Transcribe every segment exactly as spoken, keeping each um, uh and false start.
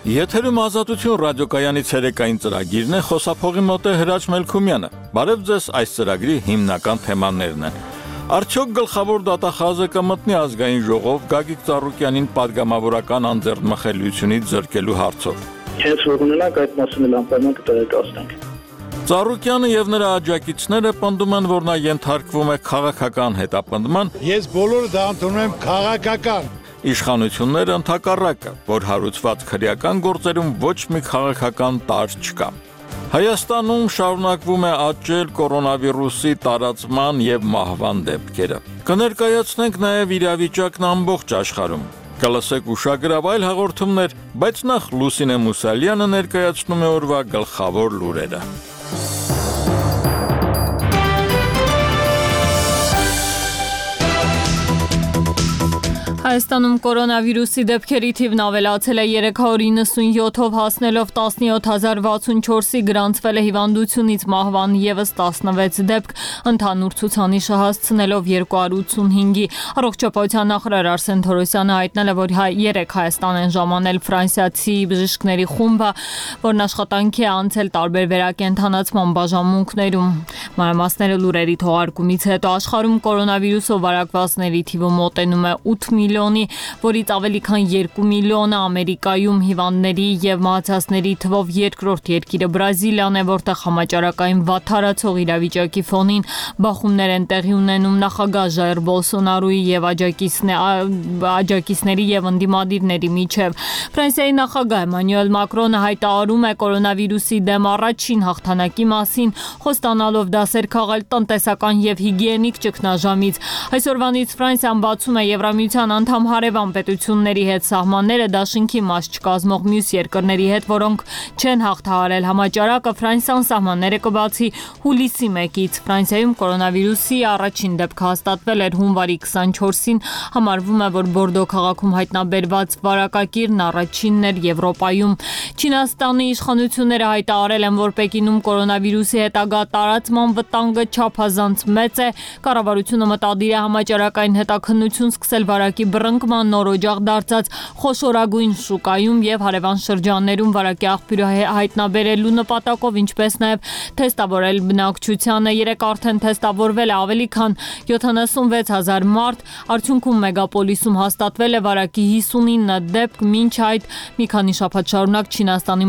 Եթերում Ազատություն ռադիոկայանի ցերեկային ծրագիրն է, խոսափողի մոտ է Հրաչ Մելքումյանը։ Բարև ձեզ, այս ծրագրի հիմնական թեմաներն են։ Արդյոք գլխավոր դատախազը կմտնի ազգային ժողով Գագիկ Ծառուկյանին պատգամավորական անձեռնմխելիությունից զրկելու հարցով։ Հենց որ ունենանք այդ մասին էլ անպայման կտեղեկացնենք։ Ծառուկյանը եւ նրա աջակիցները պնդում են, որ նա ենթարկվում է քաղաքական հետապնդման։ Ես բոլորը դա ընդունում եմ քաղաքական։ Իշխանությունները ընդհակառակը, որ հարուցված քրեական գործերում ոչ մի քաղաքական տարր չկա։ Հայաստանում շարունակվում է աճել կորոնավիրուսի տարածման եւ մահվան դեպքերը։ Կներկայացնենք նաեւ իրավիճակն ամբողջ աշխարհում։ Կլսեք ուշագրավ այլ հաղորդումներ, բայց նախ Լուսինե Մուսալյանը ներկայացնում է օրվա գլխավոր լուրերը։ Հայաստանում կորոնավիրուսի դեպքերի թիվն ավելացել է երեք հարյուր իննսունյոթով հասնելով տասնյոթ հազար վաթսունչորսի, գրանցվել է հիվանդությունից մահվան ևս տասնվեց դեպք, ընդհանուր ցուցանիշը հասցնելով երկու հարյուր ութսունհինգի։ Առողջապահության նախարար Արսեն Թորոսյանը հայտնել է, որ երեք Հայաստան են ժամանել ֆրանսիացի բժիշկների խումբը, որն աշխատանքի է անցել տարբեր վերակենդանացման բաժանմունքներում։ Մանրամասները լուրերի թողարկումից հետո աշխարհում կորոնավիրուսով վարակվածների թիվը մոտենում է ութ միլիոնի, որից ավելի քան երկու միլիոնը Ամերիկայում հիվանդների եւ մահացածների թվով երկրորդ երկիրը Բրազիլիան է, որտեղ համաճարակային վատթարացող իրավիճակի ֆոնին բախումներ են տեղի ունենում նախագահ Ժայր Բոլսոնարոյի եւ աջակիցների եւ ընդդիմադիրների միջեւ։ Ֆրանսիայի նախագահ Էմանուել Մակրոնը հայտարարում է կորոնավիրուսի դեմ առաջին հաղթանակի մասին, խոստանալով դասեր քաղել տնտեսական եւ հիգիենիկ ճգնաժամից։ Այսօրվանից Ֆրանսիան բացում է Եվրամիության անդամ հարևան պետությունների հետ սահմանները դաշինքի մաս չկազմող մյուս երկրների հետ, որոնք չեն հաղթահարել համաճարակը, Ֆրանսիան սահմանները կբացի հուլիսի մեկից։ Ֆրանսիայում կորոնավիրուսի առաջին դեպքը հաստատվել էր հունվարի քսանչորսին, համարվում է, որ Բորդո քաղաքում հայտնաբերված վարակակիրն առաջինն էր Եվրոպայում։ Չինաստանի իշխանությունները հայտարարել են, որ Պեկինում կորոնավիրուսի հետագա տարածման վտանգը չափազանց մեծ է։ Կառավարությունը մտադիր է համաճարակային հետաքննություն սկսել վարակի բռնկման նոր օջախ դարձած խոշորագույն շուկայում եւ հարևան շրջաններում վարակի աղբյուրը հայտնաբերելու նպատակով, ինչպես նաեւ թեստավորել բնակչությանը։ Երեք արդեն թեստավորվել է ավելի քան յոթանասունվեց հազար մարդ, արդյունքում մեգապոլիսում հաստատվել է վարակի հիսունինը դեպք, մինչ այդ մի քանի շաբաթ շարունակ Չինաստանի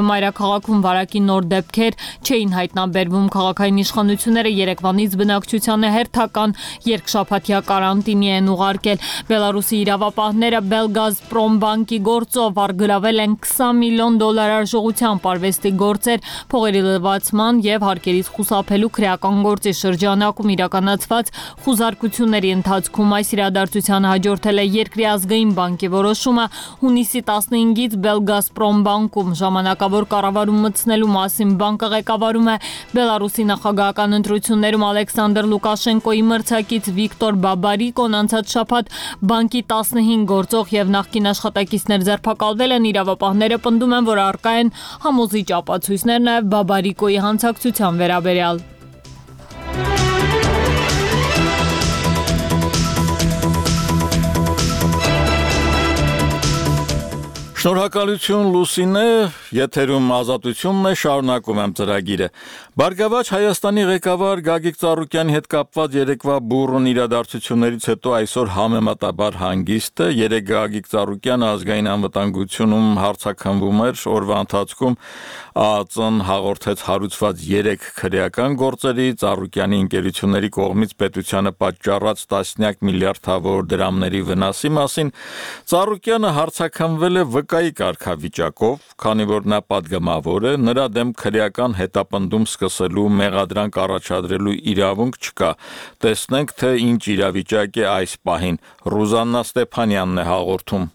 մայրաքաղաքում վարակի նոր դեպքեր չէին հայտնաբերվում։ Քաղաքային իշխանությունները երեկվանից բնակչությանը հերթական երկշաբաթյա կարանտինի են ուղարկել։ Բելարուսի իրավապահները Belgazprom բանկի գործով արգելավել են քսան միլիոն դոլար արժողությամբ արվեստի գործեր փողերի լվացման եւ հարկերից խուսափելու քրեական գործի շրջանակում իրականացված խուզարկությունների ընթացքում։ Այս իրադարձությանը հաջորդել է երկրի ազգային բանկի որոշումը հունիսի տասնհինգից Belgazprom բանկում ժամանակավոր կառավարում մտցնելու մասին։ Բանկը ղեկավարում է Բելարուսի նախագահական ընտրություններում Ալեքսանդր Լուկաշենկոյի մրցակից Վիկտոր Բաբարիկոն անցած շաբաթ բանկի տասնհինգ գործող եւ նախկին աշխատակիցներ ձերբակալվել են։ Իրավապահները պնդում են, որ առկա են համոզիչ ապացույցներ նաեւ Բաբարիկոյի հանցակցության վերաբերյալ։ Շնորհակալություն Լուսինե, եթերում Ազատությունն է, շարունակում եմ ծրագիրը։ Բարգավաճ Հայաստանի ղեկավար Գագիկ Ծառուկյանի հետ կապված երեկվա բուռն իրադարձություններից հետո այսօր համեմատաբար հանգիստ է։ Երեկ Գագիկ Ծառուկյանը ազգային անվտանգությունում հարցաքննվում էր, օրվա ընթացքում ԱԱԾ-ն հաղորդեց հարուցված երեք քրեական գործերի, Ծառուկյանի ընկերությունների կողմից պետությանը պատճառած տասնյակ միլիարդավոր դրամների վնասի մասին։ Ծառուկյանը հարցաքննվել է վկայի կարգավիճակով, քանի որ նա պատգամավոր է, նրա դեմ քրեական հետապնդում սկսելու մեղադրանք առաջադրելու իրավունք չկա։ Տեսնենք, թե ինչ իրավիճակ է այս պահին։ Ռուզաննա Ստեփանյանն է հաղորդում։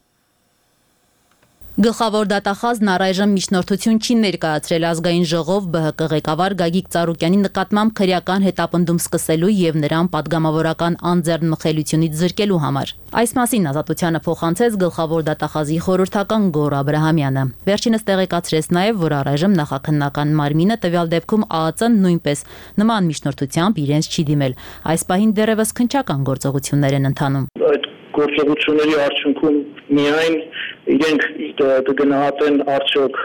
Գլխավոր դատախազն առայժմ միջնորդություն չի ներկայացրել ազգային ժողով ԲՀԿ ղեկավար Գագիկ Ծառուկյանի նկատմամբ քրեական հետապնդում սկսելու եւ նրան պատգամավորական անձեռնմխելիությունից զրկելու համար։ Այս մասին Ազատությանը փոխանցեց գլխավոր դատախազի խորհրդական Գոռ Աբրահամյանը։ Վերջինս տեղեկացրեց նաեւ, որ առայժմ նախաքննական մարմինը տվյալ դեպքում ԱԱԾ-ն նույնպես նման միջնորդությամբ իրենց չի դիմել։ Այս պահին դեռևս քննչական գործողություններ են ընթանում։ գործողությունների արդյունքում միայն իրենք կգնահատեն արդյոք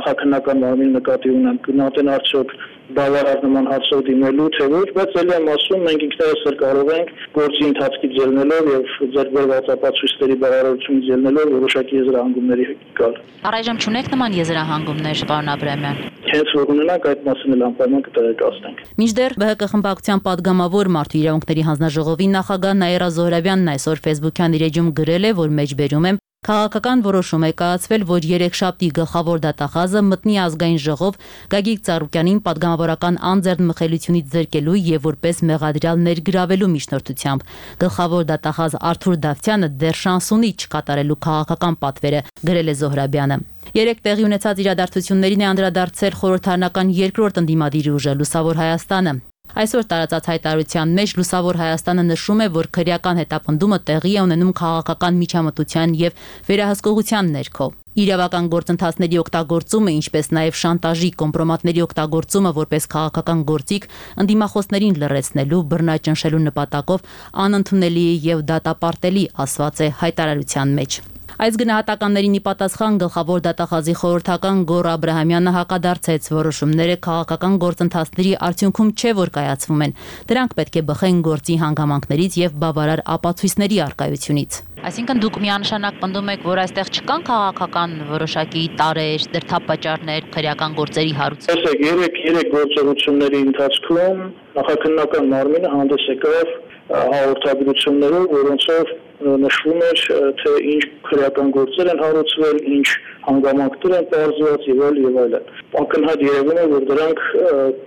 նախաքննական մարմին նկատի ունեն, գնահատեն արդյոք բավարար նման հարցով դիմելու, թե ոչ, բայց ելի եմ ասում, մենք ինքներս էլ կարող ենք գործի ընթացքից ելնելով եւ ձեռք բերված ապացույցների բավարարությունից ելնելով որոշակի եզրահանգումների գալ։ Առայժմ չունեք նման եզրահանգումներ, պարոն Աբրահամյան։ Հենց որ ունենանք այդ մասին էլ անպայման կտեղեկացնենք։ Մինչդեռ ԲՀԿ խմբակցության падգամավոր Մարդու իրավունքների հանձնաժողովի նախագահ Նաիրա Զոհրաբյանն այսօր Facebook-յան իր էջում գրել է, որ մեջբերում եմ քաղաքական որոշում է կայացվել, որ երեքշաբթի գլխավոր դատախազը մտնի ազգային ժողով Գագիկ Ծառուկյանին падգամավորական անձեռնմխելիությունից զրկելու եւ որպես մեղադրյալ ներգրավելու միջնորդությամբ։ Գլխավոր դատախազ Արթուր Դավթյանը դեռ շանս ունի չկատարելու քաղաքական պատվերը, գրել է Զոհրաբյանը։ Երեք տեղի ունեցած իրադարձություններին է անդրադարձել խորհրդարանական երկրորդ ընդդիմադիր ուժը Լուսավոր Հայաստանը։ Այսօր տարածած հայտարարության մեջ Լուսավոր Հայաստանը նշում է, որ քրեական հետապնդումը տեղի է ունենում քաղաքական միջամտության եւ վերահսկողության ներքո։ Իրավական գործընթացների օգտագործումը, ինչպես նաև շանտաժի, կոմպրոմատների օգտագործումը որպես քաղաքական գործիք ընդդիմախոսներին լռեցնելու, բռնաճնշելու նպատակով անընդունելի է եւ դատապարտելի, ասված է հայտարարության մեջ։ Այս գնահատականներին ի պատասխան գլխավոր դատախազի խորհրդական Գոռ Աբրահամյանը հակադարձեց, որոշումները քաղաքական գործընթացների արդյունքում չէ, որ կայացվում են։ Դրանք պետք է բխեն գործի հանգամանքներից եւ բավարար ապացույցների առկայությունից։ Այսինքն դուք միանշանակ պնդում եք, որ այստեղ չկան քաղաքական որոշակի տարեր, դրդապատճառներ, քրեական գործերի հարուցում։ Տեսեք, երեք երեք գործողությունների ընթացքում նախաքննական մարմինը հանդես եկավ հաղորդագրություններով, որոնցով նշվում էր, թե ինչ քրեական գործեր են հարուցվել, ինչ հանգամանքներ են պարզված եւ այլ եւ այլն։ Ակնհայտ երևում է, որ դրանք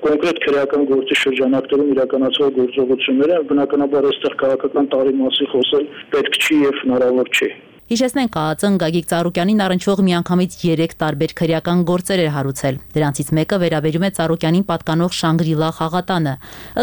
կոնկրետ քրեական գործի շրջանակներում իրականացվող գործողություններ են, բնականաբար այստեղ քաղաքական տարի մասին խոսել պետք չի եւ հնարավոր չի։ Հիշեցնենք, ԱԱԾ-ն Գագիկ Ծառուկյանին առնչվող միանգամից երեք տարբեր քրեական գործեր էր հարուցել։ Դրանցից մեկը վերաբերում է Ծառուկյանին պատկանող Շանգրիլա խաղատանը։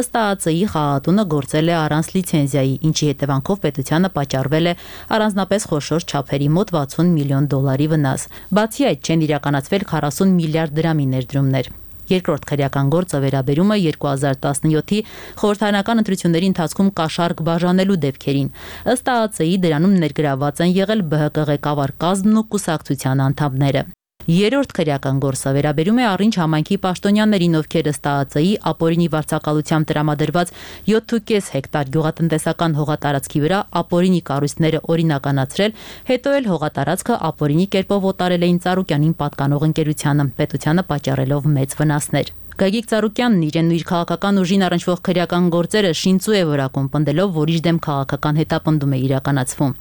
Ըստ ԱԱԾ-ի խաղատունը գործել է առանց լիցենզիայի, ինչի հետևանքով պետությանը պատճառվել է առանձնապես խոշոր չափերի մոտ վաթսուն միլիոն դոլարի վնաս։ Բացի այդ, չեն իրականացվել քառասուն միլիարդ դրամի ներդրումներ։ Երկրորդ քրեական գործը վերաբերում է երկու հազար տասնյոթի խորհրդարանական ընտրությունների ընթացքում կաշառք բաժանելու դեպքերին։ Ըստ ԱԱԾ-ի դրանում ներգրավված են եղել ԲՀԿ ղեկավար կազմն ու կուսակցության անդամները։ Երրորդ քրեական գործը վերաբերում է առինչ համայնքի պաշտոնյաներին, ովքեր ըստ ԱԱԾ-ի ապօրինի վարձակալությամբ տրամադրված յոթ ու կես հեկտար գյուղատնտեսական հողատարածքի վրա ապօրինի կառույցները օրինականացրել, հետո էլ հողատարածքը ապօրինի կերպով օտարել էին Ծառուկյանին պատկանող ընկերությանը, պետությանը պատճառելով մեծ վնասներ։ Գագիկ Ծառուկյանն իրեն ու իր քաղաքական ուժին առնչվող քրեական գործերը շինծու է որակում, պնդելով, որ իր դեմ քաղաքական հետապնդում է իրականացվում։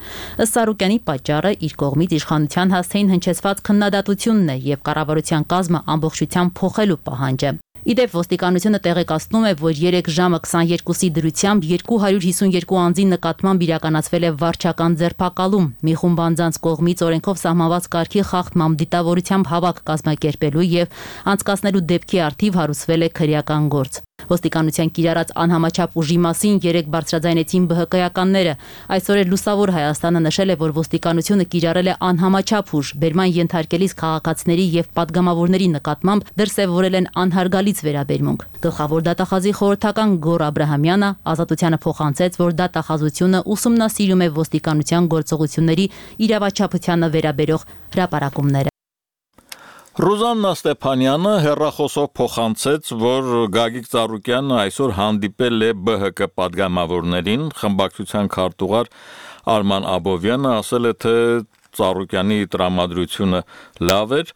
Ըստ Ծառուկյանի պատճառը իր կողմից իշխանության հասցեին հնչեցված քննադատությունն է եւ կառավարության կազմը ամբողջությամբ փոխելու պահանջը։ Իդեպ ոստիկանությունը տեղեկացնում է, որ երեք ժամը քսաներկուսի դրությամբ երկու հարյուր հիսունյոթ անձի նկատմամբ իրականացվել է վարչական ձերբակալում։ Մի խումբ անձանց կողմից օրենքով սահմանված կարգի խախտմամբ դիտավորությամբ հավաք կազմակերպելու եւ անցկացնելու դեպքի առթիվ հարուցվել է քրեական գործ։ Ոստիկանության կիրառած անհամաչափ ուժի մասին երեք բարձրաձայնեցին ԲՀԿ-ականները։ Այսօր էլ Լուսավոր Հայաստանը նշել է, որ ոստիկանությունը կիրառել է անհամաչափ ուժ, բերման ենթարկելիս քաղաքացիների եւ падգամավորների նկատմամբ դրսեւորել են անհարգալից վերաբերմունք։ Գլխավոր դատախազի խորհրդական Գոռ Աբրահամյանը ազատությանը փոխանցեց, որ դատախազությունը ուսումնասիրում է ոստիկանության գործողությունների իրավաչափությանը վերաբերող հրապարակումները։ Ռուզաննա Ստեփանյանը հերրախոսով փոխանցեց, որ Գագիկ Ծառուկյանը այսօր հանդիպել է ԲՀԿ падգամավորներին, խմբակցության քարտուղար Արման Աբովյանը ասել է, թե Ծառուկյանի տրամադրությունը լավ էր։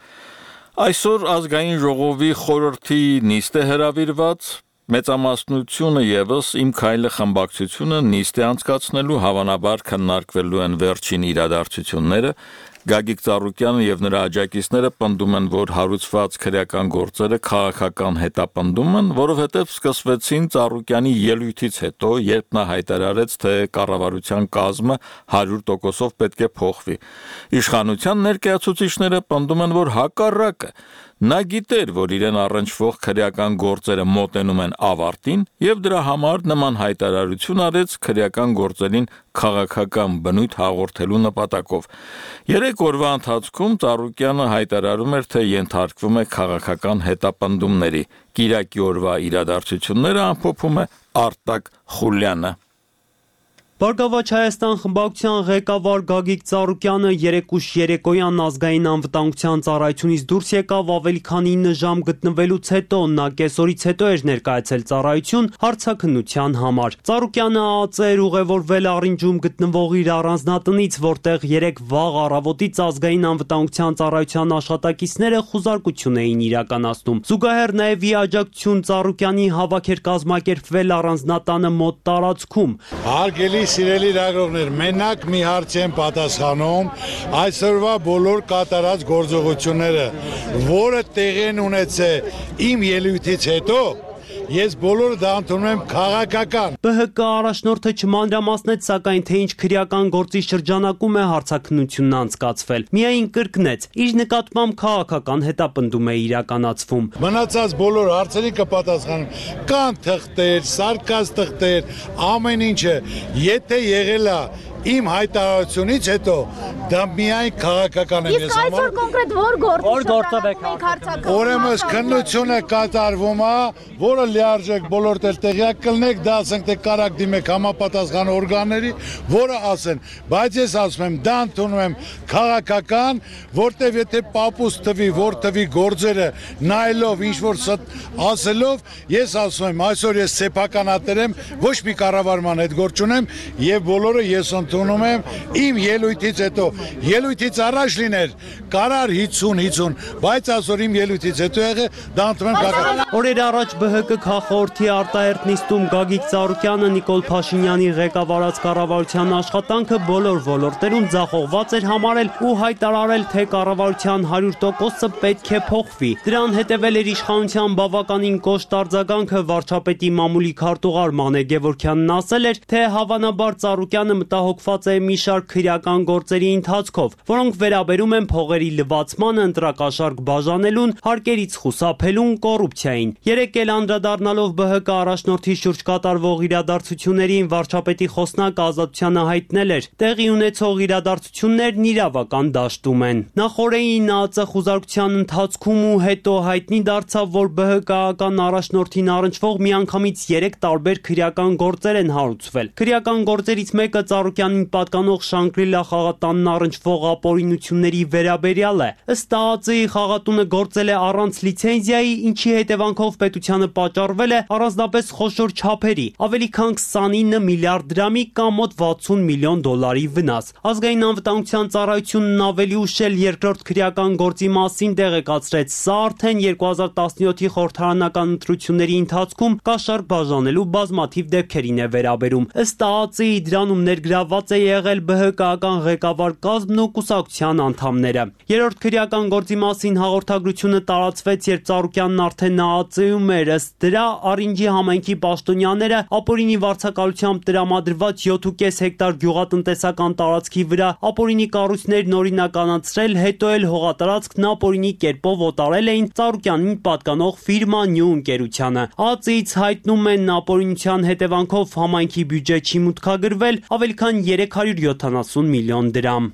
Այսօր ազգային ժողովի խորհրդի նիստ է հրավիրված, մեծամասնությունը եւս Իմ քայլը խմբակցությունը նիստ է անցկացնելու, հավանաբար քննարկվելու են վերջին իրադարձությունները։ Գագիկ Ծառուկյանը եւ նրա աջակիցները պնդում են, որ հարուցված քրեական գործերը քաղաքական հետապնդում են, որովհետեւ սկսվեցին Ծառուկյանի ելույթից հետո, երբ նա հայտարարեց, թե կառավարության կազմը հարյուր տոկոսով պետք է փոխվի։ Իշխանության ներկայացուցիչները պնդում են, որ հակառակը նա գիտեր, որ իրեն առնչվող քրեական գործերը մոտենում են ավարտին եւ դրա համար նման հայտարարություն արեց քրեական գործերին քաղաքական բնույթ հաղորդելու նպատակով։ Երեք օրվա ընթացքում Ծառուկյանը հայտարարում էր, թե ենթարկվում է քաղաքական հետապնդումների։ Կիրակի օրվա իրադարձությունները ամփոփում է Արտակ Խուլյանը։ Բարգավաճ Հայաստան խմբակցության ղեկավար Գագիկ Ծառուկյանը երեկուշ երեկոյան ազգային անվտանգության ծառայությունից դուրս եկավ ավելի քան ինը ժամ գտնվելուց հետո նա կեսօրից հետո էր ներկայացել ծառայություն հարցաքննության համար։ Ծառուկյանը ԱԱԾ էր ուղևորվել Առինջում գտնվող իր առանձնատնից, որտեղ երեք վաղ առավոտից ազգային անվտանգության ծառայության աշխատակիցները խուզարկություն էին իրականացնում։ Զուգահեռ նաև ի աջակցություն Ծառուկյանի հավաք էր կազմակերպվել առանձնատանը մոտ տարածքում։ Հարգելի սիրելի լրագրողներ, մենակ մի հարց եմ պատասխանում, այսօրվա բոլոր կատարած գործողությունները, որը տեղի են ունեցել իմ ելույթից հետո, ես բոլորը դա ընդունում եմ քաղաքական։ ԲՀԿ առաջնորդը չմանրամասնեց, սակայն թե ինչ քրեական գործի շրջանակում է հարցաքննությունն անցկացվել։ Միայն կրկնեց, իր նկատմամբ քաղաքական հետապնդում է իրականացվում։ Մնացած բոլոր հարցերի կպատասխանեմ։ Կան թղթեր, սարկած թղթեր, ամեն ինչը, եթե եղել է իմ հայտարարությունից հետո դա միայն քաղաքական եմ ես համար։ Իսկ այսօր կոնկրետ որ գործով եք հարցակրթում։ Ուրեմն քննությունը կատարվում է, որը լիարժեք բոլոր տեղ տեղյակ կլինեք, դա ասենք թե կարակ դիմեք համապատասխան օրգանների, որը ասեն, բայց ես ասում եմ, դա ընդունում եմ քաղաքական, որտեվ եթե պապուս տվի, որ տվի գործերը նայելով ինչ որ ասելով, ես ասում եմ, այսօր ես սեփականատեր եմ, ոչ մի կառավարման հետ գործ չունեմ եւ բոլորը ես ընդունում եմ իմ ելույթից հետո, ելույթից առաջ լիներ կարար հինգ հինգ, բայց այսօր իմ ելույթից հետո եղե դա ընդունում եմ քաղաքական։ Օրեր առաջ ԲՀԿ քաղաքորդի արտահերթ նիստում Գագիկ Ծառուկյանը Նիկոլ Փաշինյանի ղեկավարած կառավարության աշխատանքը բոլոր ոլորտերում ձախողված էր համարել ու հայտարարել, թե կառավարության հարյուր տոկոսը պետք է փոխվի։ Դրան հետևել էր իշխանության բավականին կոշտ արձագանքը վարչապետի մամուլի քարտուղար Մանե Գևորգյանն ասել էր, թե հավանաբար Ծառուկյանը մտահոգված է մի շարք քրեական գործերի ընթացքով, որոնք վերաբերում են փողերի լվացմանը, ընտրակաշարք բաժանելուն, հարկերից խուսափելուն, կոռուպցիային։ Երեկ էլ անդրադառնալով ԲՀԿ առաջնորդի շուրջ կատարվող իրադարձություններին վարչապետի խոսնակը Ազատությանը հայտնել էր, տեղի ունեցող իրադարձություններն իրավական դաշտում են։ Նախորդին ԱԱԾ խուզարկության ընթացքում ու հետո հայտնի դարձավ, որ ԲՀԿ-ական առաջնորդին առնչվող միանգամից երեք տարբեր քրեական գործեր են հարուցվել։ Քրեական գործերից մեկը Ծառուկյանին պատկանող Շանգրիլա խաղատանն առնչվող ապօրինությունների վերաբերյալ է։ Ըստ ԱԱԾ-ի խաղատունը գործել է առանց լիցենզիայի, ինչի հետևանքով պետությանը պատճառվել է առանձնապես խոշոր չափերի, ավելի քան քսանինը միլիարդ դրամի կամ մոտ վաթսուն միլիոն դոլարի վնաս։ Ազգային անվտանգության ծառայությունն ավելի ուշ էլ երկրորդ քրեական գործի մասին տեղեկացրեց, սա արդեն երկու հազար տասնյոթի խորհրդարանական ընտրությունների ընթացքում կաշառք բաժանելու բազմաթիվ դեպքերին է վերաբերում։ Ըստ ԱԱԾ-ի դրանում ներգրավված է եղել ԲՀԿ-ական ղեկավար կազմն ու կուսակցության անդամները։ Երրորդ քրեական գործի մասին հաղորդագրությունը տարածվեց, երբ Ծառուկյանն արդեն ԱԱԾ-ում էր, ըստ դրա Առինջի համայնքի պաշտոնյաները ապօրինի վարձակալությամբ տրամադրված յոթ ու կես հեկտար գյուղատնտեսական տարածքի վրա ապօրինի կառույցներն օրինականացրել, հետո էլ հողատարածքն ապօրինի կերպով օտարել էին Ծառուկյանին պատկանող ֆիրմա Նյու ընկերությանը։ ԱԱԾ-ից հայտնում են ապօրինության հետևանքով համայնքի բյուջե չի մուտքագրվել ավելի քան երեք հարյուր յոթանասուն միլիոն դրամ։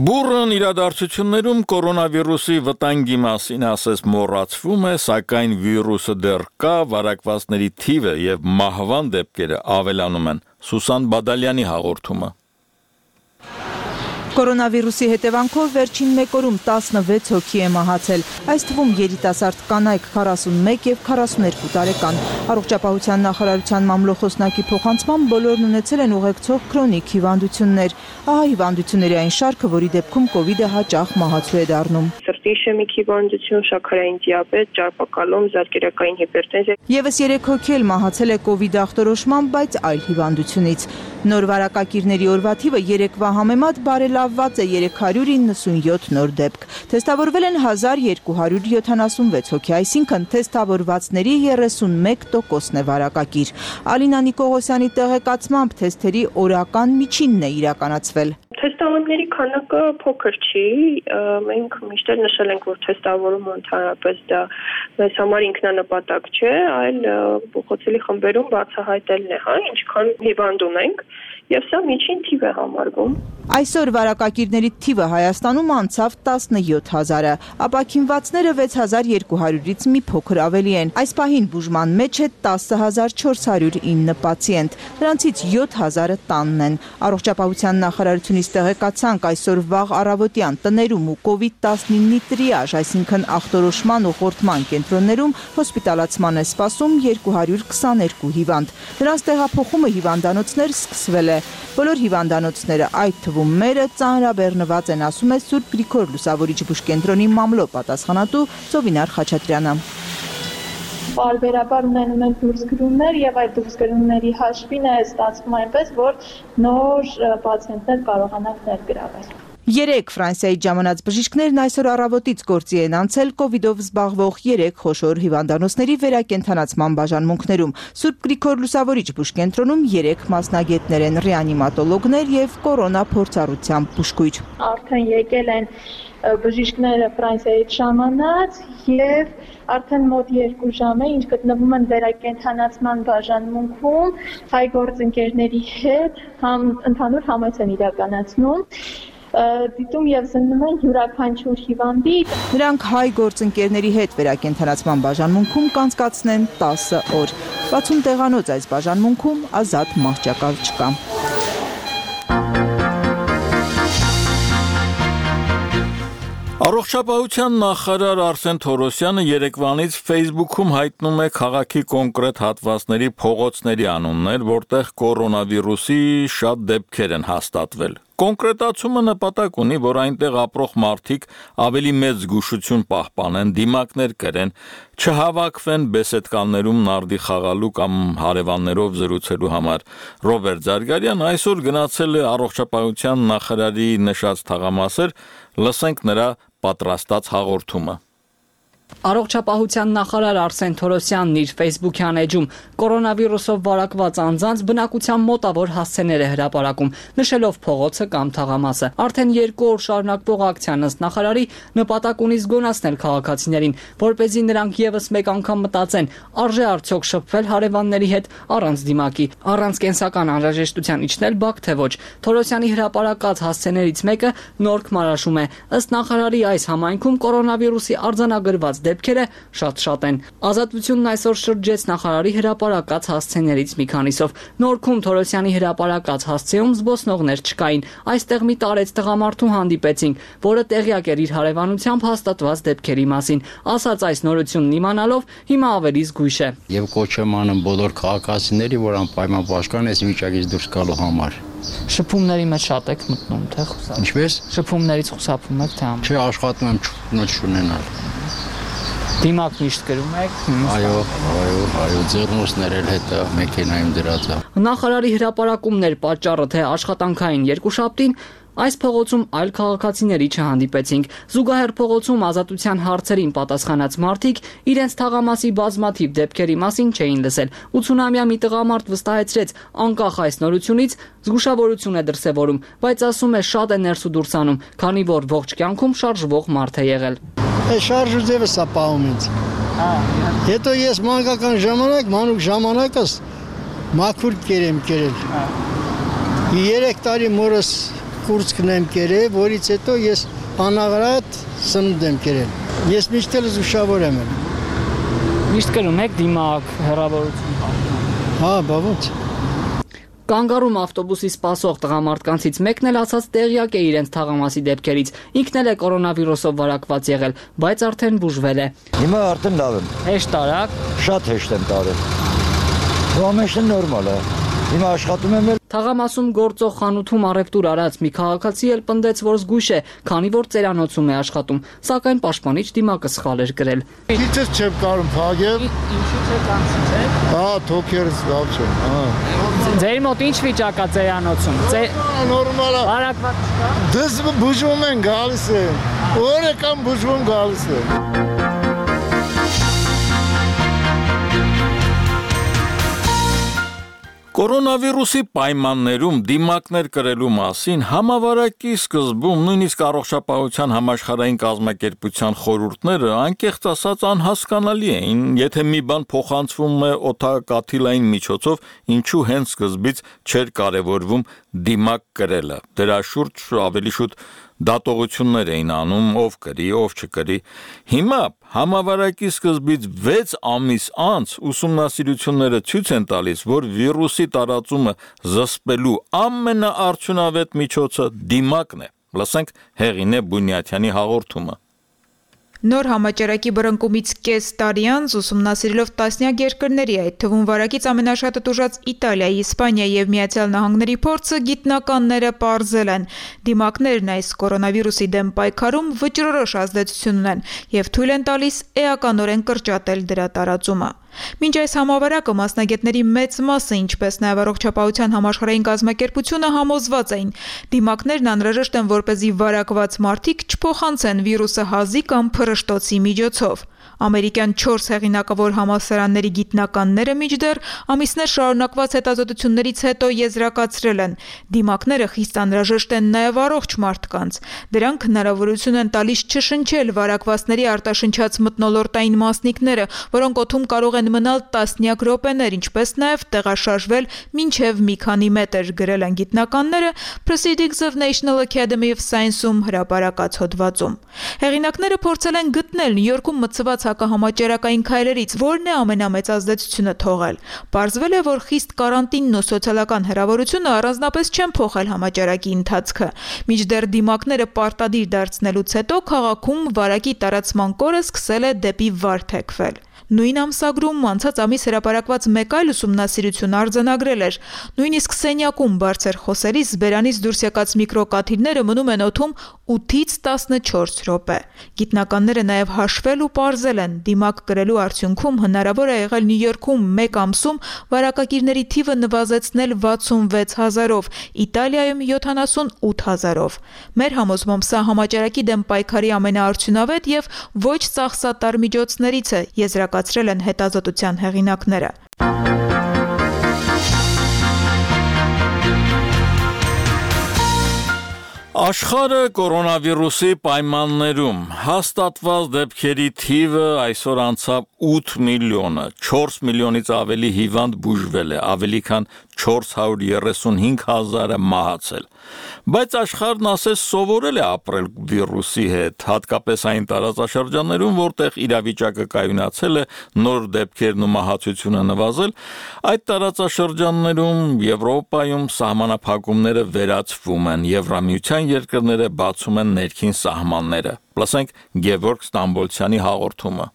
Բուրըն իրադարձություններում կորոնավիրուսի վտանգի մասին ասես մոռացվում է, սակայն վիրուսը դեռ կա, վարակվածների թիվը եւ մահվան դեպքերը ավելանում են։ Սուսան Բադալյանի հաղորդումը։ Կորոնավիրուսի հետևանքով վերջին մեկ օրում տասնվեց հոգի է մահացել, այս թվում երիտասարդ կանայք քառասունմեկ և քառասուներկու տարեկան։ Առողջապահության նախարարության մամլոխոսնակի փոխանցմամբ բոլորն ունեցել են ուղեկցող քրոնիկ հիվանդություններ։ Ահա հիվանդությունների այն շարքը, որի դեպքում կովիդը հաճախ մահացու է դառնում։ Սրտի իշեմիկ հիվանդություն, շաքարային դիաբետ, ճարպակալում, զարկերակային հիպերտենզիա։ Եվս երեք հոգի էլ մահացել է կովիդ ախտորոշմամբ, բայց այլ հիվանդությունից։ Նոր վարակակիրների օրվա թիվը երեկվա համեմատ բարելավված է երեք հարյուր իննսունյոթ նոր դեպք։ Թեստավորվել են հազար երկու հարյուր յոթանասունվեց հոգի, այսինքն թեստավորվածների երեսունմեկ տոկոսն է վարակակիր։ Ալինա Նիկողոսյանի տեղեկացմամբ թեստերի օրական միջինն է իրականացվել։ Թեստավորների քանակը փոքր չի, մենք միշտ նշել ենք, որ թեստավորումը ընդհանրապես դա մեզ համար ինքնանպատակ չէ, այլ փոխոցելի խմբերում բացահայտելն է, հա, ինչքան հիվանդ ունենք, եւ սա միջին թիվ է համարվում։ Այսօր վարակակիրների թիվը Հայաստանում անցավ տասնյոթ հազարը, ապաքինվածները վեց հազար երկու հարյուրից մի փոքր ավելի են։ Այս պահին բուժման մեջ է տասը հազար չորս հարյուր ինը պացիենտ, նրանցից յոթ հազարը տանն են։ Առողջապահության նախարարությունից տեղեկացանք այսօր վաղ առավոտյան տներում ու կովիդ տասնինի տրիաժ, այսինքն ախտորոշման ու խորտման կենտրոններում հոսպիտալացման է սպասում երկու հարյուր քսաներկու հիվանդ։ Նրանց տեղափոխումը հիվանդանոցներ սկսվել է։ Բոլոր հիվանդանոցները, այդ թվում մերը, ծանրաբեռնված են, ասում է Սուրբ Գրիգոր Լուսավորիչ բուժկենտրոնի մամլո պատասխանատու Սովինար Խաչատրյանը։ Պարբերաբար ունենում են դուրսգրումներ եւ այդ դուրսգրումների հաշվին է ստացվում այնպես, որ նոր պացիենտներ կարողանան ներգրավել։ Երեք Ֆրանսիայի ժամանած բժիշկներն այսօր առավոտից գործի են անցել կովիդով զբաղվող երեք խոշոր հիվանդանոցների վերակենդանացման բաժանմունքներում։ Սուրբ Գրիգոր Լուսավորիչ բուժկենտրոնում երեք մասնագետներ են, ռեանիմատոլոգներ եւ կորոնա փորձառությամբ բուժքույր։ Արդեն եկել են բժիշկները Ֆրանսիայից ժամանած եւ արդեն մոտ երկու ժամ է, ինչ գտնվում են վերակենդանացման բաժանմունքում, հայ գործընկերների հետ համ ընդհանուր համայնք են իրականացնում։ Դիտում եւ զննում են յուրաքանչյուր հիվանդի։ Նրանք հայ գործընկերների հետ վերակենդանացման բաժանմունքում կանցկացնեն տասը օր։ վաթսուն տեղանոց այս բաժանմունքում ազատ մահճակալ չկա։ Առողջապահության նախարար Արսեն Թորոսյանը երեկվանից Facebook-ում հայտնում է քաղաքի կոնկրետ հատվածների փողոցների անուններ, որտեղ կորոնավիրուսի շատ դեպքեր են հաստատվել։ Կոնկրետացումը նպատակ ունի, որ այնտեղ ապրող մարդիկ ավելի մեծ զգուշություն պահպանեն, դիմակներ կրեն, չհավաքվեն բեսեդկաններում նարդի խաղալու կամ հարևաններով զրուցելու համար։ Ռոբերտ Զարգարյան այսօր գնացել է առողջապահության նախարարի նշած թաղամասեր, լսենք նրա պատրաստած հաղորդումը։ Առողջապահության նախարար Արսեն Թորոսյանն իր Facebook-յան էջում կորոնավիրուսով վարակված անձանց բնակության մոտավոր հասցեներ է հրապարակում, նշելով փողոցը կամ թաղամասը։ Արդեն երկու օր շարունակվող ակցիան ըստ նախարարի նպատակ ունի զգոնացնել քաղաքացիներին, որպեսզի նրանք եւս մեկ անգամ մտածեն, արժե արդյոք շփվել հարևանների հետ առանց դիմակի, առանց կենսական անհրաժեշտության իջնել բակ թե ոչ։ Թորոսյանի հրապարակած հասցեներից մեկը Նորք Մարաշում է։ Ըստ նախարարի այս համայնքում կորոնավիրուսի արձանագրված դեպքերը շատ-շատ են։ Ազատությունն այսօր շրջեց նախարարի հրապարակած հասցեներից մի քանիսով։ Նորքում Թորոսյանի հրապարակած հասցեում զբոսնողներ չկային։ Այստեղ մի տարեց տղամարդու հանդիպեցինք, որը տեղյակ էր իր հարևանությամբ հաստատված դեպքերի մասին։ Ասաց այս նորությունն իմանալով հիմա ավելի զգույշ է։ Եվ կոչ եմ անում բոլոր քաղաքացիների, որ անպայման պաշտպան այս վիճակից դուրս գալու համար։ Շփումների մեջ շատ եք մտնում, թե խուսափում։ Ինչպես։ Շփումներից խուսափում եք, թե ամ։ Չէ, աշխատում եմ ճուտ չունենալ։ Դիմակ միշտ գրում եք։ Այո, այո, այո, ձեռնոցներ էլ հետը մեքենայում դրած է։ Նախարարի հրապարակումներ պատճառը թե աշխատանքային երկուշաբթին այս փողոցում այլ քաղաքացիների չհանդիպեցինք։ Զուգահեռ փողոցում ազատության հարցերին պատասխանած մարդիկ իրենց թաղամասի բազմաթիվ դեպքերի մասին չէին լսել։ ութսունամյա մի տղամարդ վստահեցրեց, անկախ այս նորությունից զգուշավորություն է դրսևորում, բայց ասում է շատ է ներս ու դուրս անում, քանի որ ողջ կյանքում շարժվող մարդ է եղել։ Շարժը ձևս է պահում ինձ։ Հետո ես մանկական ժամանակ, մանուկ ժամանակս մաքուր կերեմ կերել։ Երեք տարի մորս կուրծքն եմ կերել, որից հետո ես անաղարատ սնունդ եմ կերել։ Ես միշտ էլ զուշավոր եմ։ Միշտ կրում եք դիմակ, հեռավորություն։ Հա, բա ո՞նց։ Կանգառում ավտոբուսի սպասող տղամարդկանցից մեկն էլ ասաց տեղյակ է իրենց թաղամասի դեպքերից։ Ինքն էլ է կորոնավիրուսով վարակված եղել, բայց արդեն բուժվել է։ Հիմա արդեն լավ եմ։ Հեշտ տարակ։ Շատ հեշտ եմ տարել։ Ամենը նորմալ է։ Հիմա աշխատում եմ էլ։ Թաղամասում գործող խանութում առևտուր արած մի քաղաքացի էլ պնդեց, որ զգույշ է, քանի որ ծերանոցում է աշխատում, սակայն պաշտպանիչ դիմակը սխալ էր գրել։ Իցես չեմ կարում փագել։ Ինչու՞ չեք անցել, չէ՞։ Հա, թոքերս լավ չեմ, հա։ Ձեր մոտ ինչ վիճակ է ծերանոցում։ Նորմալ է։ Վարակված չկա։ Դες բուժում են գալիս է։ Օրը կամ բուժում գալիս է։ Կորոնավիրուսի պայմաններում դիմակներ կրելու մասին համավարակի սկզբում նույնիսկ առողջապահության համաշխարհային կազմակերպության խորհուրդները անկեղծ ասած անհասկանալի էին, եթե մի բան փոխանցվում է օդակաթիլային միջոցով, ինչու հենց սկզբից չէր կարևորվում դիմակ կրելը։ Դրա շուրջ ավելի շուտ դատողություններ էին անում, ով կրի, ով չկրի։ Հիմա համավարակի սկզբից վեց ամիս անց ուսումնասիրությունները ցույց են տալիս, որ վիրուսի տարածումը զսպելու ամենաարդյունավետ միջոցը դիմակն է։ Լսենք Հեղինե Բունյաթյանի հաղորդումը։ Նոր համաճարակի բռնկումից կես տարի անց ուսումնասիրելով տասնյակ երկրների, այդ թվում վարակից ամենաշատը տուժած Իտալիայի, Իսպանիայի եւ Միացյալ Նահանգների փորձը գիտնականները պարզել են։ Դիմակներն այս կորոնավիրուսի դեմ պայքարում վճռորոշ ազդեցություն ունեն եւ թույլ են տալիս էականորեն կրճատել դրա տարածումը։ Մինչ այս համավարակը մասնագետների մեծ մասը, ինչպես նաև առողջապահության համաշխարհային կազմակերպությունը համոզված էին, դիմակներն անհրաժեշտ են, որպեսզի վարակված մարդիկ չփոխանցեն վիրուսը հազի կամ փռշտոցի միջոցով։ Ամերիկյան չորս հեղինակավոր համալսարանների գիտնականները մինչդեռ ամիսներ շարունակված հետազոտություններից հետո եզրակացրել են, դիմակները խիստ անհրաժեշտ են նաև առողջ մարդկանց։ Դրանք հնարավորություն են տալիս չշնչել վարակվածների արտաշնչած մթնոլորտային մասնիկները, որոնք օդում կարող են մնալ տասնյակ րոպեներ, ինչպես նաև տեղաշարժվել մինչև մի քանի մետր, գրել են գիտնականները Proceedings of National Academy of Science-ում հրապարակած հոդվածում։ Հեղինակները փորձել են գտնել Նյու Յորքում մցված հակահամաճարակային քայլերից որն է ամենամեծ ազդեցությունը թողել։ Պարզվել է, որ խիստ կարանտինն ու սոցիալական հեռավորությունը առանձնապես չեն փոխել համաճարակի ընթացքը։ Մինչդեռ դիմակները պարտադիր դարձնելուց հետո քաղաքում վարակի տարածման կորը սկսել է դեպի վար թեքվել։ Նույն ամսագրում անցած ամիս հրապարակված մեկ այլ ուսումնասիրություն արձանագրել էր, նույնիսկ սենյակում բարձր խոսելիս բերանից դուրս եկած միկրոկաթիլները մնում են օդում ութից տասնչորս րոպե։ Գիտնականները նաև հաշվել ու պարզել են, դիմակ կրելու արդյունքում հնարավոր է եղել Նյու Յորքում մեկ ամսում վարակագիրների թիվը նվազեցնել վաթսունվեց հազարով, Իտալիայում յոթանասունութ հազարով։ Մեր համոզմամբ սա համաճարակի դեմ պայքարի ամենաարդյունավետ եւ ոչ ծախսատար միջոցներից է, եզրակացրել են հետազոտության հեղինակները։ Աշխարհը կորոնավիրուսի պայմաններում հաստատված դեպքերի թիվը այսօր անցավ ութ միլիոնը, չորս միլիոնից ավելի հիվանդ բուժվել է, ավելի քան չորս հարյուր երեսունհինգ հազարը մահացել։ Բայց աշխարհն ասես սովորել է ապրել վիրուսի հետ, հատկապես այն տարածաշրջաններում, որտեղ իրավիճակը կայունացել է, նոր դեպքերն ու մահացությունը նվազել, այդ տարածաշրջաններում Եվրոպայում սահմանափակումները վերացվում են, Եվրամիության երկրները բացում են ներքին սահմանները։ Լսենք Գևորգ Ստամբոլցյանի հաղորդումը։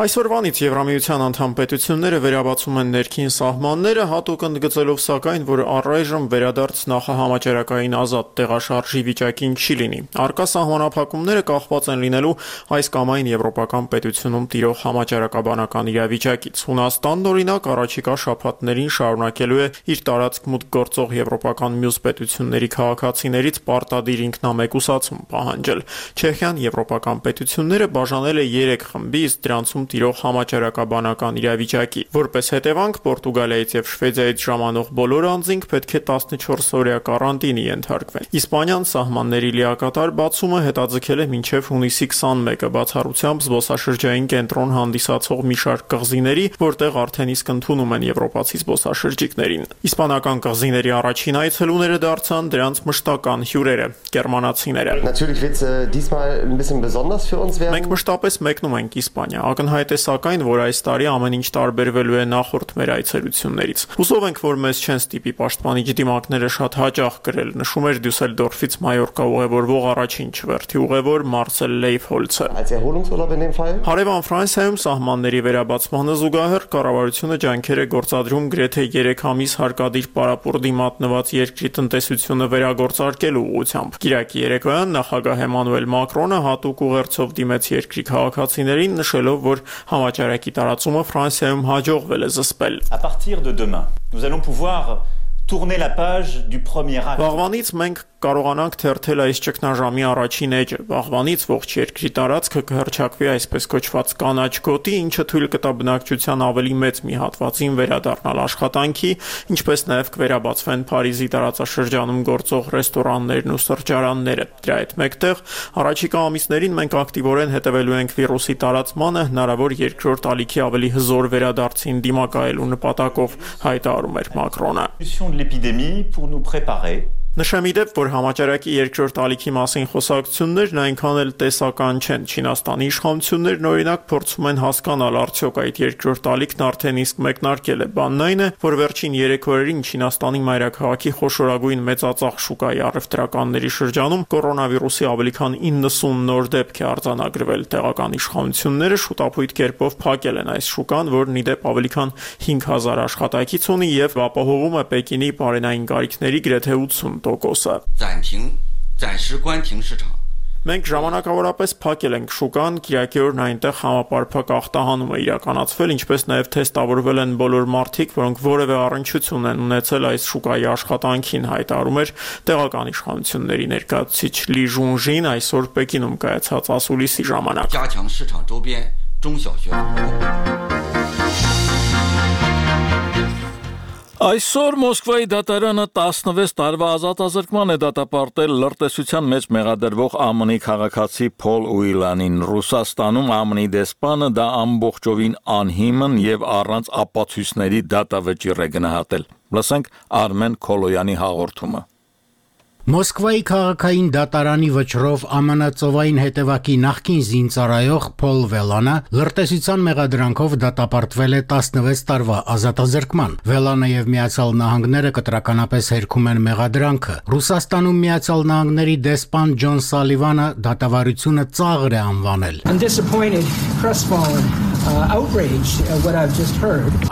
Այսօրվանից Եվրամիության անդամ պետությունները վերաբացում են ներքին սահմանները, հատուկ ընդգծելով սակայն, որ առայժմ վերադարձ նախահամաճարակային ազատ տեղաշարժի վիճակին չի լինի։ Առկա սահմանափակումները կախված են լինելու այս կամ այն եվրոպական պետությունում տիրող համաճարակաբանական իրավիճակից։ Հունաստանն օրինակ առաջիկա շաբաթներին շարունակելու է իր տարածք մուտք գործող եվրոպական մյուս պետությունների քաղաքացիներից պարտադիր ինքնամեկուսացում պահանջել։ Չեխիան եվրոպական պետությունները բաժանել է երեք խմբի, իսկ դրանցում տիրող համաճարակաբանական իրավիճակի։ Որպես հետևանք Պորտուգալիայից եւ Շվեդիայից ժամանող բոլոր անձինք պետք է տասնչորս օրյա կարանտինի ենթարկվեն։ Իսպանիան սահմանների լիակատար բացումը հետաձգել է մինչև հունիսի քսանմեկը, բացառությամբ զբոսաշրջային կենտրոն հանդիսացող մի շարք կղզիների, որտեղ արդեն իսկ ընդունում են եվրոպացի զբոսաշրջիկներին։ Իսպանական կղզիների առաջին այցելուները դարձան դրանց մշտական հյուրերը՝ գերմանացիները։ Մենք մշտապես մեկնում ենք Իսպանիա։ Ակնհայտ է սակայն, որ այս տարի ամեն ինչ տարբերվելու է նախորդ մեր այցելություններից։ Հուսով ենք, որ մեզ չեն ստիպի պաշտպանիչ դիմակները շատ հաճախ կրել, նշում էր Դյուսելդորֆից Մայորկա ուղևորվող առաջին չվերթի ուղևոր Մարսել Լեյֆհոլցը։ Հարևան Ֆրանսիայում սահմանների վերաբացմանը զուգահեռ կառավարությունը ջանքեր է գործադրում գրեթե երեք ամիս հարկադիր պարապուրդի մատնված երկրի տնտեսությունը վերագործարկելու ուղղությամբ։ Կիրակի երեկոյան նախագահ Էմանուել Մակրոնը հատուկ ուղերձով դիմեց երկրի քաղաքացիներին, նշելով, որ համաճարակի տարածումը Ֆրանսիայում հաջողվել է զսպել։ À partir de demain, nous allons pouvoir tourner la page du premier acte. Վաղվանից մենք կարողանանք թերթել այս ճգնաժամի առաջին էջը։ Վաղվանից ողջ երկրի տարածքը կհռչակվի այսպես կոչված կանաչ գոտի, ինչը թույլ կտա բնակչության ավելի մեծ մի հատվածին վերադառնալ աշխատանքի, ինչպես նաև կվերաբացվեն Փարիզի տարածաշրջանում գործող ռեստորաններն ու սրճարանները։ Դրա հետ մեկտեղ առաջիկա ամիսներին մենք ակտիվորեն հետևելու ենք վիրուսի տարածմանը, հնարավոր երկրորդ ալիքի ավելի հզոր վերադարձին դիմակայելու նպատակով, հայտարարում էր Մակրոնը։ Նշեմ ի դեպ, որ համաճարակի երկրորդ ալիքի մասին խոսակցություններն այնքան էլ տեսական չեն։ Չինաստանի իշխանություններն օրինակ փորձում են հասկանալ, արդյոք այդ երկրորդ ալիքն արդեն իսկ մեկնարկել է։ Բանն այն է, որ վերջին երեք օրերին Չինաստանի մայրաքաղաքի խոշորագույն մեծածախ շուկայի առևտրականների շրջանում կորոնավիրուսի ավելի քան իննսուն նոր դեպք է արձանագրվել։ Տեղական իշխանությունները շուտապույտ կերպով փակել են այս շուկան, որն ի դեպ ավելի քան հինգ հազար աշխատակից ունի եւ ապահովում է Պեկինի բարենային կարիքների գրեթե ութսուն տոկոսը։ Մենք ժամանակավորապես փակել ենք շուկան, կիրակի օրն այնտեղ համապարփակ ախտահանում է իրականացվել, ինչպես նաև թեստավորվել են բոլոր մարդիկ, որոնք որևէ առնչություն են ունեցել այս շուկայի աշխատանքին, հայտարարում էր տեղական իշխանությունների ներկայացուցիչ Լի Ժունժին այսօր Պեկինում կայացած ասուլիսի ժամանակ։ Այսօր Մոսկվայի դատարանը տասնվեց տարվա ազատազրկման է դատապարտել լրտեսության մեջ մեղադրվող ԱՄՆ-ի քաղաքացի Փոլ Ուիլանին։ Ռուսաստանում ԱՄՆ-ի դեսպանը դա ամբողջովին անհիմն եւ առանց ապացույցների դատավճիռ է գնահատել։ Լսենք Արմեն Քոլոյանի հաղորդումը։ Մոսկվայի քաղաքային դատարանի վճռով ԱՄՆ ծովային հետևակի նախկին զինծառայող Փոլ Վելանը լրտեսության մեղադրանքով դատապարտվել է տասնվեց տարվա ազատազրկման։ Վելանը եւ Միացյալ Նահանգները կտրականապես հերքում են մեղադրանքը։ Ռուսաստանում Միացյալ Նահանգների դեսպան Ջոն Սալիվանը դատավարությունը ծաղր է անվանել։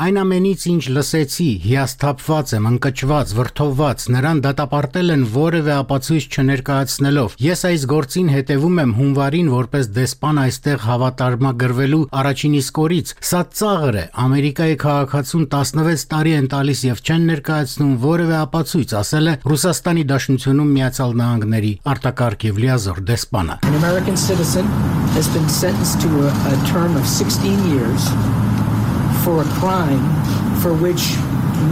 Այն ամենից, ինչ լսեցի, հիասթափված եմ, ընկճված, վրդովված, նրան դատապարտել են որևէ ապացույց չներկայացնելով։ Ես այս գործին հետևում եմ հունվարին որպես դեսպան այստեղ հավատարմագրվելու առաջին իսկ օրից։ Սա ծաղր է, Ամերիկայի քաղաքացուն տասնվեց տարի են տալիս եւ չեն ներկայացնում որևէ ապացույց, ասել է Ռուսաստանի Դաշնությունում Միացյալ Նահանգների արտակարգ եւ լիազոր դեսպանը։ Has been sentenced to a, a term of sixteen years for a crime for which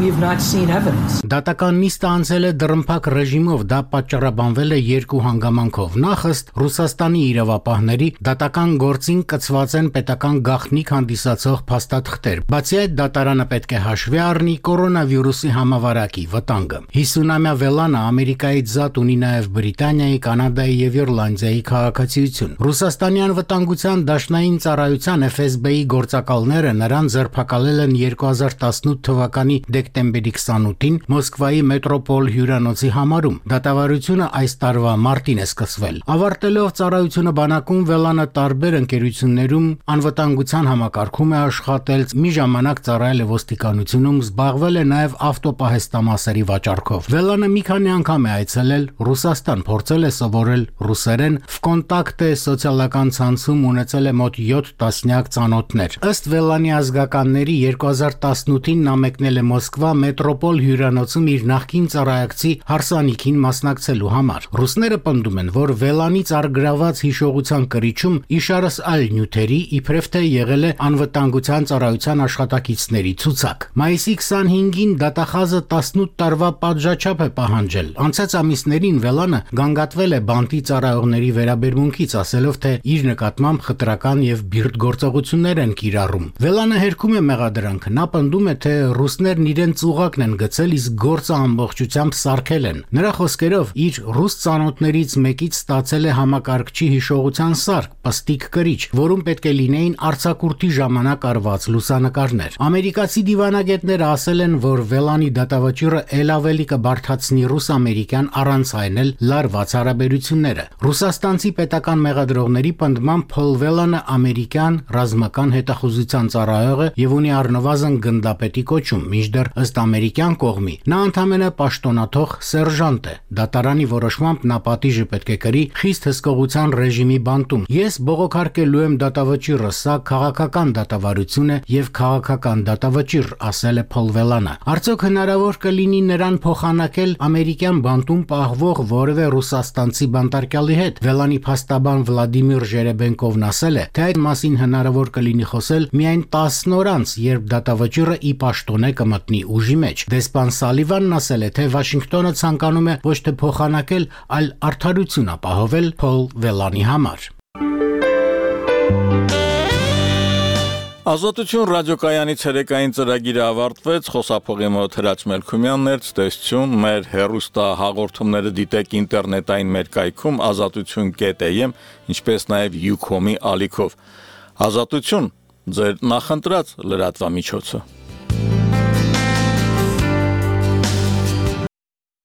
we have not seen evidence. Դատական նիստը անցել է դռնփակ ռեժիմով, դա պատճառաբանվել է երկու հանգամանքով։ Նախ ըստ Ռուսաստանի իրավապահների դատական գործին կցված են պետական գաղտնիք հանդիսացող փաստաթղթեր։ Բացի այդ, դատարանը պետք է հաշվի առնի կորոնավիրուսի համավարակի վտանգը։ հիսունամյա Վելանը Ամերիկայից զատ ունի նաև Բրիտանիայի, Կանադայի եւ Իռլանդիայի քաղաքացիություն։ Ռուսաստանյան վտանգության դաշնային ծառայության Էֆ Էս Բի-ի գործակալները նրան ձերբակալել են երկու հազար տասնութ թվականի դեկտեմբերի քսանութին Մոսկվայի մետրոպոլ հյուրանոցի համարում։ Դատավարությունը այս տարվա մարտին է սկսվել։ Ավարտելով ծառայությունը բանակում, Վելանը տարբեր ընկերություններում անվտանգության համակարգում է աշխատել, մի ժամանակ ծառայել է ոստիկանությունում, զբաղվել է նաև ավտոպահեստամասերի վաճառքով։ Վելանը մի քանի անգամ է այցելել Ռուսաստան, փորձել է սովորել ռուսերեն, վկոնտակտ է սոցիալական ցանցում, ունեցել է մոտ յոթ տասնյակ ծանոթներ։ Ըստ Վելանի ազգականների երկու հազար տասնութին նա մեկնել է Մոսկվա մետրոպոլ հյուրանոցում իր նախկին ծառայակցի հարսանիքին մասնակցելու համար։ Ռուսները պնդում են, որ Վելանից առգրաված հիշողության կրիչում իշարս այլ նյութերի իբրև թե եղել է անվտանգության ծառայության աշխատակիցների ցուցակ։ Մայիսի քսանհինգին դատախազը տասնութ տարվա պատժաչափ է պահանջել։ Անցած ամիսներին Վելանը գանգատվել է բանտի ծառայողների վերաբերմունքից, ասելով, թե իր նկատմամբ խտրական եւ բիրտ գործողություններ են կիրառում։ Վելանը հերքում է մեղադրանքը։ Նա պնդում է, թե ռուսներն իրենց ուղակն են գցել, իսկ գործը ամբողջությամբ սարքել են։ Նրա խոսքերով, իր ռուս ծանոթներից մեկից ստացել է համակարգչի հիշողության սարք, պստիկ կրիչ, որում պետք է լինեին արձակուրդի ժամանակ արված լուսանկարներ։ Ամերիկացի դիվանագետները ասել են, որ Վելանի դատավճիռը ել ավելի կբարդացնի ռուս-ամերիկյան առանց այն էլ լարված հարաբերությունները։ Ռուսաստանցի պետական մեղադրողների պնդմամբ Փոլ Վելանը ամերիկյան ռազմական հետախուզության ծառայող է եւ ունի առնվազն գնդապետի կոչում, մինչդեռ ըստ ամերիկյան կողմի նա ընդամենը պաշտոնաթող սերժանտ է։ Դատարանի որոշմամբ նա պատիժը պետք է կրի խիստ հսկողության ռեժիմի բանտում։ Ես բողոքարկելու եմ դատավճիռը, սա քաղաքական դատավարություն է եւ քաղաքական դատավճիռ, ասել է Փոլ Վելանը։ Արդյոք հնարավոր կլինի նրան փոխանակել ամերիկյան բանտում պահվող որևէ ռուսաստանցի բանտարկյալի հետ։ Վելանի փաստաբան Վլադիմիր Ժերեբենկովն ասել է, թե այդ մասին հնարավոր կլինի խոսել միայն տասն օր անց, երբ դատավճիռը ի պաշտոնե կմտնի ուժի մեջ։ Դեսպան Սալիվանն ասել է, թե Վաշինգտոնը ցանկանում է ոչ թե փոխանակել, այլ արդարություն ապահովել Փոլ Վելանի համար։ Ազատություն ռադիոկայանի ցերեկային ծրագիրը ավարտվեց, խոսափողի մոտ Հրաչ Մելքումյանն էր, ցտեսություն, մեր հեռուստա հաղորդումները դիտեք ինտերնետային մեր կայքում ազատություն կետ է եմ, ինչպես նաև Ucom-ի ալիքով։ Ազատություն, ձեր նախընտրած լրատվամիջոցը։